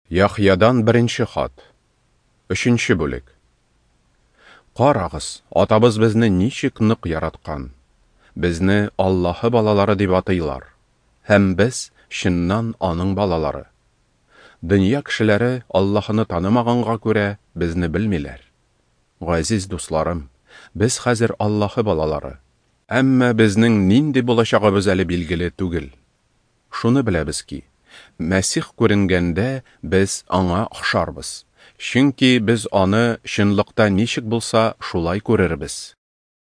Яхъядан беренче хат. Өченче бүлек. Карагыз, Атабыз безне ничек нык яраткан. Безне Аллаһы балалары дип атыйлар. Һәм без чыннан аның балалары. Дөнья кешеләре Аллаһыны танымаганга күрә безне белмиләр. Газиз дусларым, без хәзер Аллаһы балалары. Әмма безнең нинди булачагыбыз әле билгеле түгел. Шуны беләбез ки, Мәсих күренгәндә без аңа охшарбыз, чөнки без аны чынлыкта ничек булса, шулай күрербез.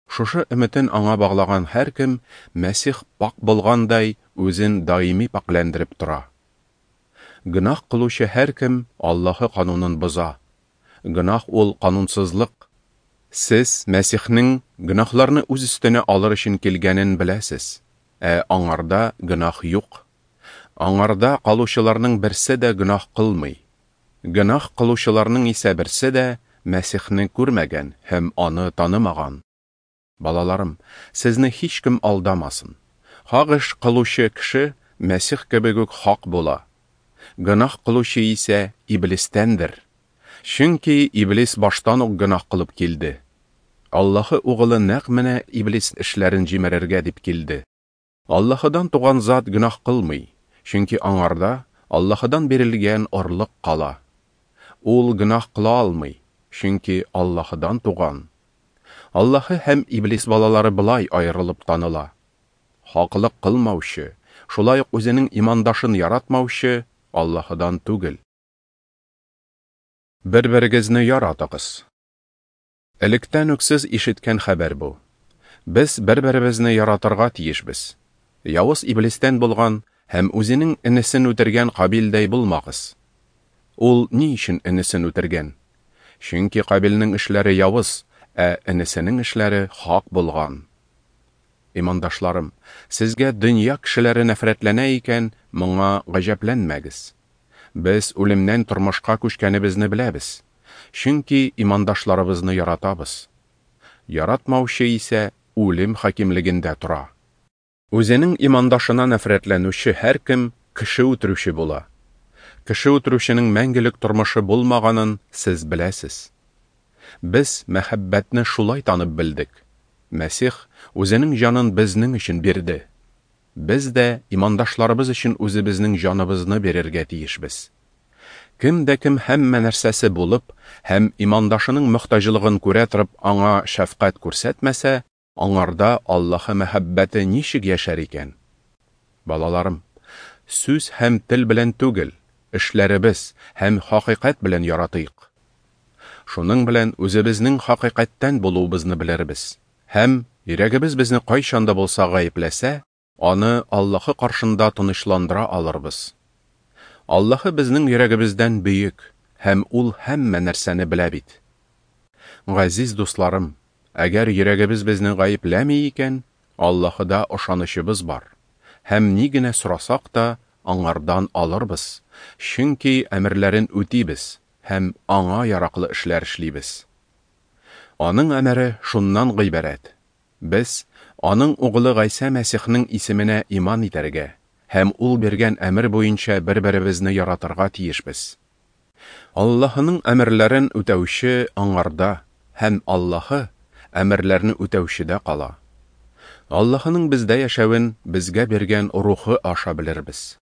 Шушы өметен аңа баглаган һәркем Мәсих пакь булгандай үзен даими пакьләндереп тора. Гөнаһ кылучы һәркем Аллаһы канунын боза. Гөнаһ ул канунсызлык. Сез Мәсихнең гөнаһларны үз өстенә алыр өчен килгәнен беләсез, ә аңарда гөнаһ юк. Аңарда калучыларның берсе дә гөнаһ кылмый. Гөнаһ кылучыларның исә берсе дә Мәсихне күрмәгән һәм аны танымаган. Балаларым, сезне һичкем алдамасын. Хак эш кылучы кеше Мәсих кебек үк хак була. Гөнаһ кылучы исә Иблистәндер. Чөнки Иблис баштан ук гөнаһ кылып килде. Аллаһы Угылы нәкъ менә Иблис эшләрен җимерергә дип килде. Аллаһыдан туган зат гөнаһ кылмый, чөнки аңарда Аллаһыдан бирелгән орлык кала. Ул гөнаһ кыла алмый, чөнки Аллаһыдан туган. Аллаһы һәм Иблис балалары болай аерылып таныла. Хаклык кылмаучы, шулай ук үзенең имандашын яратмаучы Аллаһыдан түгел. Бер-берегезне яратыгыз. Электән үк сез ишеткән хәбәр бу. Без бер-беребезне яратырга тиешбез. Явыз Иблистән булган һәм үзенең энесен үтергән Кабилдәй булмагыз. Ул ни өчен энесен үтергән? Чөнки Кабилнең эшләре явыз, ә энесенең эшләре хак булган. Имандашларым, сезгә дөнья кешеләре нәфрәтләнә икән, моңа гаҗәпләнмәгез. Без үлемнән тормышка күчкәнебезне беләбез, чөнки имандашларыбызны яратабыз. Яратмаучы исә үлем хакимлегендә тора. Үзенең имандашына нәфрәтләнүче һәркем кеше үтерүче була. Кеше үтерүченең мәңгелек тормышы булмаганын сез беләсез. Без мәхәббәтне шулай танып белдек. Мәсих үзенең җанын безнең өчен бирде. Без дә имандашларыбыз өчен үзебезнең җаныбызны бирергә тиешбез. Кем дә кем һәммә нәрсәсе булып һәм имандашының мохтаҗлыгын күрә торып аңа шәфкать күрсәтмәсә, аңарда Аллаһы мәхәббәте ничек яшәр икән? Балаларым, сүз һәм тел белән түгел, эшләребез һәм хакыйкать белән яратыйк. Шуның белән үзебезнең хакыйкатьтән булуыбызны белербез. Һәм йөрәгебез безне кайчан да булса гаепләсә, аны Аллаһы каршында тынычландыра алырбыз. Аллаһы безнең йөрәгебездән бөек, һәм ул һәммә нәрсәне белә бит. Газиз дусларым, әгәр йөрәгебез безне гаепләми икән, Аллаһыда ышанычыбыз бар. Һәм ни генә сорасак та, аңардан алырбыз, чөнки әмерләрен үтибез һәм аңа яраклы эшләр эшлибез. Аның әмере шуннан гыйбарәт: без аның угылы Гайсә Мәсихнең исеменә иман итәргә һәм ул биргән әмер буенча бер-беребезне яратырга тиешбез. Аллаһының әмерләрен үтәүче аңарда һәм Аллаһы әмерләрне үтәүчедә кала. Аллаһының бездә яшәвен безгә биргән Рухы аша белербез.